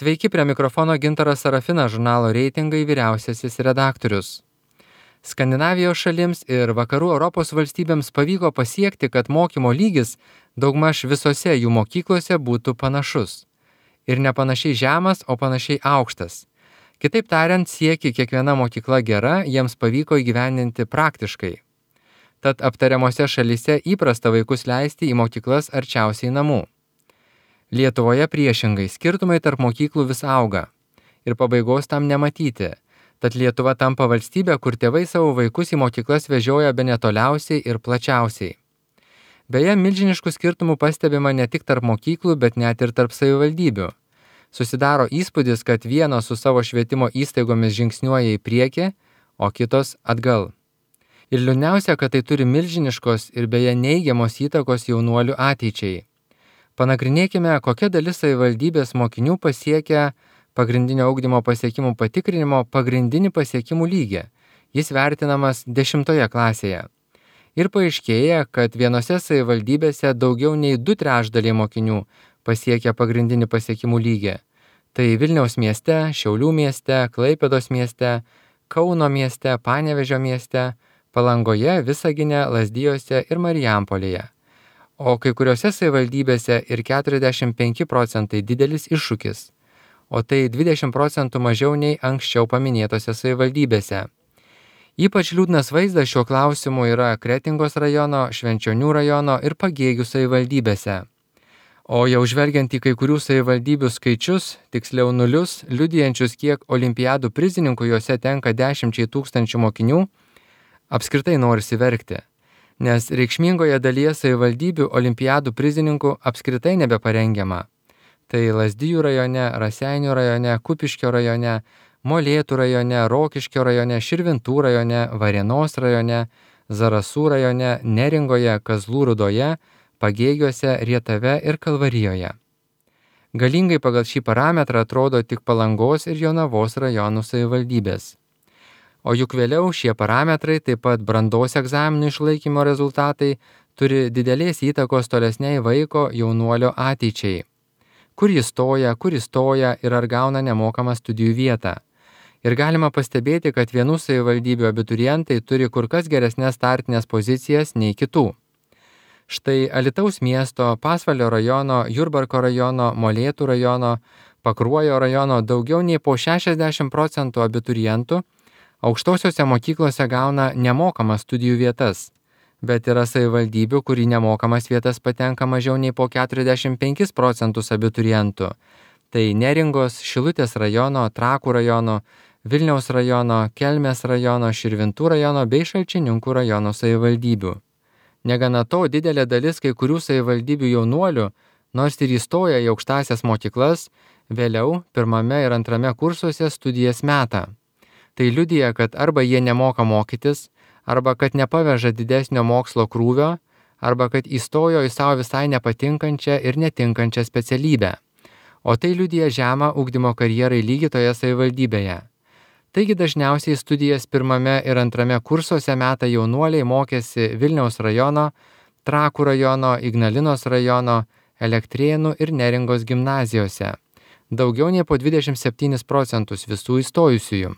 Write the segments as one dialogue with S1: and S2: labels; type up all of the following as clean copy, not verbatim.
S1: Sveiki, prie mikrofono Gintaras Sarafinas, žurnalo Reitingai vyriausiasis redaktorius. Skandinavijos šalims ir vakarų Europos valstybėms pavyko pasiekti, kad mokymo lygis daugmaž visose jų mokyklose būtų panašus. Ir ne panašiai žemas, o panašiai aukštas. Kitaip tariant, sieki kiekviena mokykla gera, jiems pavyko įgyvendinti praktiškai. Tad aptariamose šalyse įprasta vaikus leisti į mokyklas arčiausiai namų. Lietuvoje priešingai, skirtumai tarp mokyklų vis auga. Ir pabaigos tam nematyti. Tad Lietuva tampa valstybė, kur tėvai savo vaikus į mokyklas vežioja bene toliausiai ir plačiausiai. Beje, milžiniškų skirtumų pastebima ne tik tarp mokyklų, bet net ir tarp savivaldybių. Susidaro įspūdis, kad vienos su savo švietimo įstaigomis žingsniuoja į priekį, o kitos atgal. Ir liūdniausia, kad tai turi milžiniškos ir beje neigiamos įtakos jaunuolių ateičiai. Panagrinėkime, kokia dalis savivaldybės mokinių pasiekia pagrindinio ugdymo pasiekimų patikrinimo pagrindinį pasiekimų lygį. Jis vertinamas 10 klasėje. Ir paaiškėja, kad vienose savivaldybėse daugiau nei 2/3 mokinių pasiekia pagrindinį pasiekimų lygį. Tai Vilniaus mieste, Šiaulių mieste, Klaipėdos mieste, Kauno mieste, Panevėžio mieste, Palangoje, Visagine, Lazdijuose ir Marijampolėje. O kai kuriuose savivaldybėse ir 45 procentai didelis iššūkis. O tai 20 procentų mažiau nei anksčiau paminėtose savivaldybėse. Ypač liūdnas vaizdas šiuo klausimu yra Kretingos rajono, Švenčionių rajono ir Pagėgių savivaldybėse. O jau žvelgiant į kai kurių savivaldybių skaičius, tiksliau nulius, liudijančius, kiek olimpiadų prizininkų juose tenka 10 000 mokinių, apskritai norisi verkti. Nes reikšmingoje dalyje savivaldybių olimpiadų prizininkų apskritai nebeparengiama. Tai Lazdijų rajone, Raseinių rajone, Kupiškio rajone, Molėtų rajone, Rokiškio rajone, Širvintų rajone, Varėnos rajone, Zarasų rajone, Neringoje, Kazlų Rūdoje, Pagėgiuose, Rietave ir Kalvarijoje. Galingai pagal šį parametrą atrodo tik Palangos ir Jonavos rajonų savivaldybės. O juk vėliau šie parametrai, taip pat brandos egzaminų išlaikymo rezultatai, turi didelės įtakos tolesniai vaiko jaunuolio ateičiai. Kur jis stoja ir ar gauna nemokamą studijų vietą. Ir galima pastebėti, kad vienų savivaldybių abiturientai turi kur kas geresnės startinės pozicijas nei kitų. Štai Alytaus miesto, Pasvalio rajono, Jurbarko rajono, Molėtų rajono, Pakruojo rajono daugiau nei po 60 procentų abiturientų aukštosiose mokyklose gauna nemokamas studijų vietas. Bet yra savivaldybių, kur į nemokamas vietas patenka mažiau nei po 45 procentus abiturientų. Tai Neringos, Šilutės rajono, Trakų rajono, Vilniaus rajono, Kelmės rajono, Širvintų rajono bei Šalčininkų rajono savivaldybių. Negana to, didelė dalis kai kurių savivaldybių jaunuolių, nors ir įstoja į aukštąsias mokyklas, vėliau 1. ir 2. kursuose studijas meta. Tai liudija, kad arba jie nemoka mokytis, arba kad nepaveža didesnio mokslo krūvio, arba kad įstojo į savo visai nepatinkančią ir netinkančią specialybę. O tai liudija žemą ugdymo karjerai lygį toje savivaldybėje. Taigi dažniausiai studijas 1. ir 2. kursuose meta jaunuoliai mokėsi Vilniaus rajono, Trakų rajono, Ignalinos rajono, Elektrėnų ir Neringos gimnazijose. Daugiau nei po 27 procentus visų įstojusiųjų.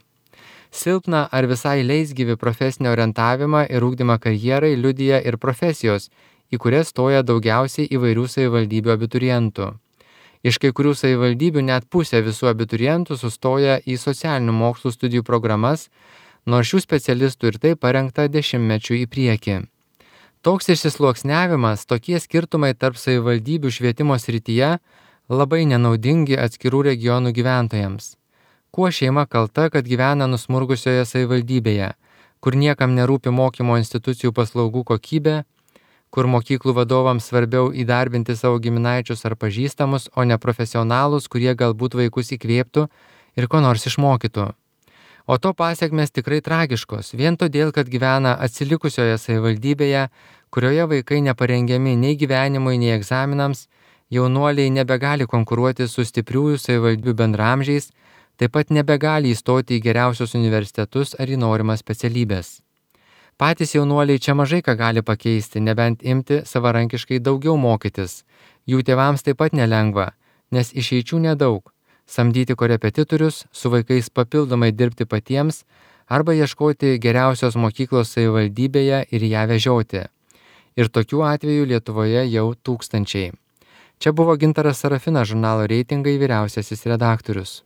S1: Silpną ar visai leisgyvį profesinį orientavimą ir ugdymą karjerai liudija ir profesijos, į kurias stoja daugiausiai įvairių savivaldybių abiturientų. Iš kai kurių savivaldybių net pusė visų abiturientų sustoja į socialinių mokslų studijų programas, nors šių specialistų ir tai parengta dešimtmečių į priekį. Toks išsisluoksniavimas, tokie skirtumai tarp savivaldybių švietimo srityje labai nenaudingi atskirų regionų gyventojams. Kuo šeima kalta, kad gyvena nusmurgusioje savivaldybėje, kur niekam nerūpi mokymo institucijų paslaugų kokybė, kur mokyklų vadovams svarbiau įdarbinti savo giminaičius ar pažįstamus, o ne profesionalus, kurie galbūt vaikus įkvėptų ir ko nors išmokytų. O to pasiekmes tikrai tragiškos, vien todėl, kad gyvena atsilikusioje savivaldybėje, kurioje vaikai neparengiami nei gyvenimui, nei egzaminams, jaunuoliai nebegali konkuruoti su stipriųjų savivaldybių bendraamžiais, taip pat nebegali įstoti į geriausius universitetus ar į norimas specialybės. Patys jaunuoliai čia mažai ką gali pakeisti, nebent imti savarankiškai daugiau mokytis. Jų tėvams taip pat nelengva, nes išeičių nedaug. samdyti korepetitorius, su vaikais papildomai dirbti patiems arba ieškoti geriausios mokyklos savivaldybėje ir ją vežioti. Ir tokių atvejų Lietuvoje jau tūkstančiai. Čia buvo Gintaras Sarafinas, žurnalo Reitingai vyriausiasis redaktorius.